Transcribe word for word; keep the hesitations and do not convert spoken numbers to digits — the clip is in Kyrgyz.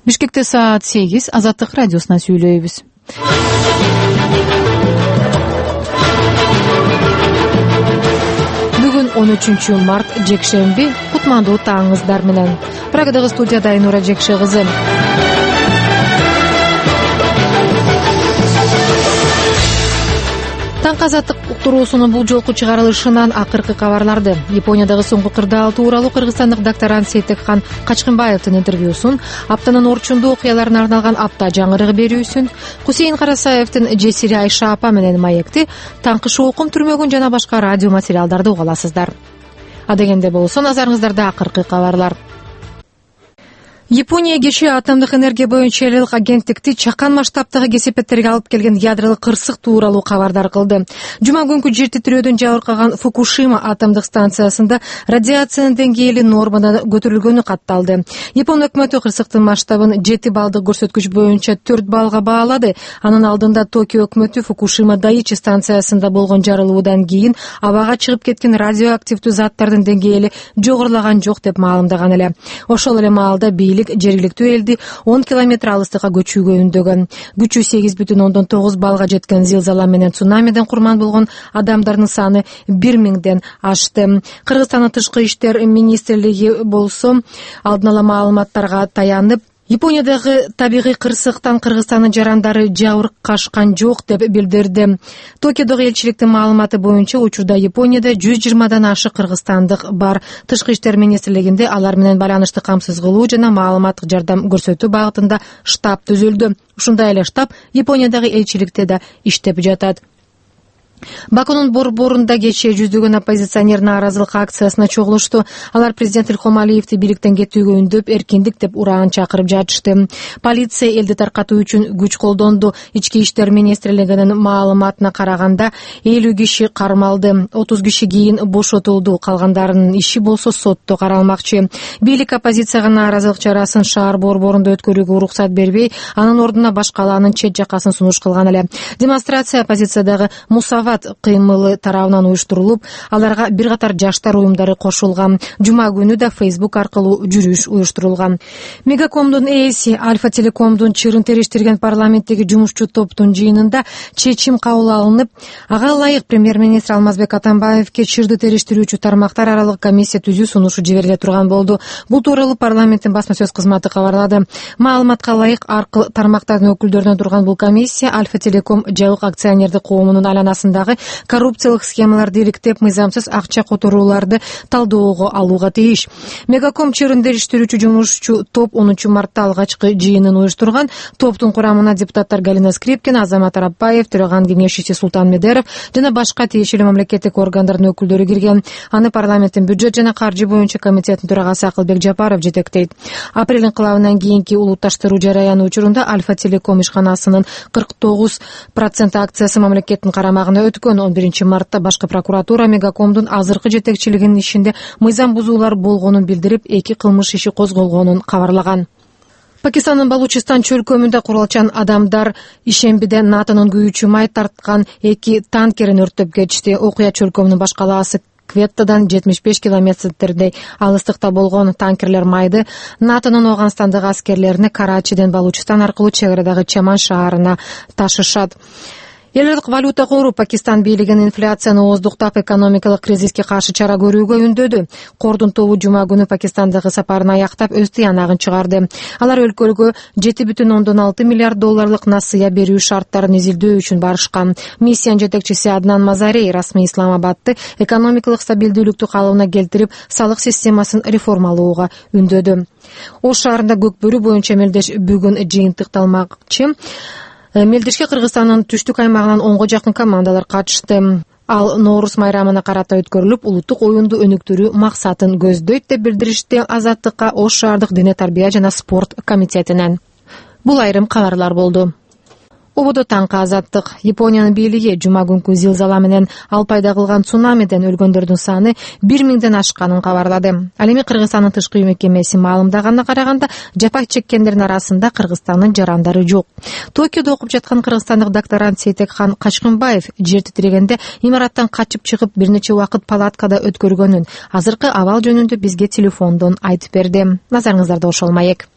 Бишкекте саат сегиз. Азаттык радиосуна сүйлөйбүз. Бүгүн он үчүнчү март, жекшемби. Кутмандуу таңыңыздар менен. Прагадагы студияда Айнура Жекше кызы. Таңкы азаттык уктуруусунун бул жолку чыгарылышынан акыркы кабарларды. Япониядагы соңку кырдаал тууралуу кыргызстандык докторант Сейтекхан Качкынбаевдин интервьюсун, аптанын орчундуу окуяларына арналган апта жаңырыгы берүүсүн, Кусейин Карасаевдин Жесири Айша апа менен маекти, таңкы шоокум түрмөгүн жана башка радио материалдарды уга аласыздар. Адегенде болсо, назарыңыздарда акыркы кабарлар. Япония кечээ атомдук энергия боюнча эл элдик агенттикти чакан масштабтагы кесепеттерге алып келген ядролук кырсык тууралуу кабардар кылды. Жума күнкү жер титирөөдөн жабыркаган Фукушима атомдук станциясында радиациянын деңгээли нормадан көтөрүлгөнү катталды. Япон өкмөтү кырсыктын масштабын жети балдык көрсөткүч боюнча төрт балга баалады. Анын алдында Токио өкмөтү Фукушима Дайичи станциясында болгон жарылуудан кийин абага чыгып кеткен радиоактивдүү заттардын деңгээли жогорулаган жок деп маалымдаган эле. Ошол эле маалда жергиликтүү элди он километр алыстыкка көчүүгө үндөгөн. Күчү сегиз бүтүн ондон тогуз балга жеткен зилзала менен цунамиден курман болгон адамдардын саны бир миңден ашты. Кыргызстандын тышкы иштер министрлиги болсо алдын ала маалыматтарга таянып, Япониядагы табигый кырсыктан Кыргызстандын жарандары жабыркашкан жок деп билдирди. Токиодогу элчиликтин маалыматы боюнча учурда Японияда жүз жыйырмадан ашык кыргызстандык бар. Тышкы иштер министрлигинде алар менен байланышты камсыз кылуу жана маалыматтык жардам көрсөтүү багытында штаб түзүлдү. Ушундай эле штаб Япониядагы элчиликте да иштеп жатат. Бакунун борборунда кечээ жүздөгөн оппозиционер нааразылык акциясына чогулушту. Алар президент Илхом Алиевди бийликтен кетүүгө үндөп, эркиндик деп ураан чакырып жатышты. Полиция элди таркатуу үчүн күч колдонду. Ички иштер министрлигинин маалыматына караганда элүү киши кармалды, отуз киши кийин бошотулду, калгандарынын иши болсо сотто каралмакчы. Бийлик оппозицияга нааразылык чарасын шаар борборунда өткөрүүгө уруксат бербей, анын ордуна баш калаанын чет жакасын сунуш кылган эле. Демонстрация оппозициядагы Мусава кыймылы тарабынан уюштурулуп, аларга бир катар жаштар уюмдары кошулган. Жума күнү да Facebook аркылуу жүрүш уюштурулган. Мегакомдун ээси Альфа Телекомдун чырын териштирген парламенттеги жумушчу топтун жыйынында чечим кабыл алынып, ага ылайык премьер-министр Алмазбек Атамбаевге чырды териштирүүчү тармактар аралык комиссия түзүү сунушу жибериле турган болду. Бул тууралуу парламенттин басма сөз кызматы кабарлады. Маалыматка ылайык аркы тармактардын өкүлдөрүнөн турган бул комиссия Альфа Телеком жабык акционердик коомунун айланасында коррупциялык схемаларды иликтеп, мыйзамсыз акча которууларды талдоого алууга тийиш. Мегаком чырын териштирүүчү жумушчу топ онунчу мартта алгачкы жыйынын уюштурган. Топтун курамына депутаттар Галина Скрипкина, Азамат Арапбаев, төраган кеңешчиси Султан Медеров жана башка тиешелүү мамлекеттик органдардын өкүлдөрү кирген. Аны парламенттин бюджет жана каржы боюнча комитетинин төрагасы Акылбек Жапаров жетектейт. Апрель инкылабынан кийинки улутташтыруу жараянı учурунда Альфа Телеком ишканасынын кырк тогуз процент акциясы мамлекеттин карамагына өткөн. он биринчи мартта башкы прокуратура Мегакомдун азыркы жетекчилигинин ишинде мыйзам бузуулар болгонун билдирип, эки кылмыш иши козголгонун кабарлаган. Пакистандын Балучистан чөлкөмүндө куралчан адамдар ишембиде НАТОнун күйүүчү май тарткан эки танкерин өрттөп кетишти. Окуя чөлкөмүнүн баш калаасы Кветтадан жетимиш беш километрдей алыстыкта болгон. Танкерлер майды НАТОнун Афганистандагы аскерлерине Карачиден Балучистан аркылуу чек арадагы Чаман шаарына ташышат. Эл элдик валюта кору Пакистан бийлигин инфляцияны ооздуктап, экономикалык кризиске каршы чара көрүүгө үндөдү. Кордун тобу жума күнү Пакистандагы сапарын аяктап, өз тыянагын чыгарды. Алар өлкөгө жети бүтүн ондон алты миллиард долларлык насыя берүү шарттарын изилдөө үчүн барышкан. Миссиянын жетекчиси Аднан Мазарей расмий Исламабадты экономикалык стабилдүүлүктү калыбына келтирип, салык системасын реформалоого үндөдү. Ош шаарында көкбөрү боюнча мелдеш бүгүн жыйынтыкталмакчы. Мелдешке Кыргызстандын түштүк аймагынан онго жакын командалар катышты. Ал Ноорус майрамына карата өткөрүлүп, улуттук оюнду өнүктүрүү максатын көздөйт деп билдиришти Азаттыкка Ош шаардык дене тарбия жана спорт комитетинен. Бул айрым кабарлар болду. Ободо таңкы азаттык. Япониянын бийлиги жума күнкү зилзала менен ал пайда кылган цунамиден өлгөндөрдүн саны бир миңден ашканын кабарлады. Ал эми Кыргызстандын тышкы мекемеси маалымдаганына караганда, жапа чеккендердин арасында Кыргызстандын жарандары жок. Токиодо окуп жаткан кыргызстандык докторант Сейтекхан Качкынбаев жер титирегенде имараттан качып чыгып бир нече убакыт палаткада өткөргөнүн азыркы абал жөнүндө бизге телефондон айтып берди. Назарыңыздарда ошол маек.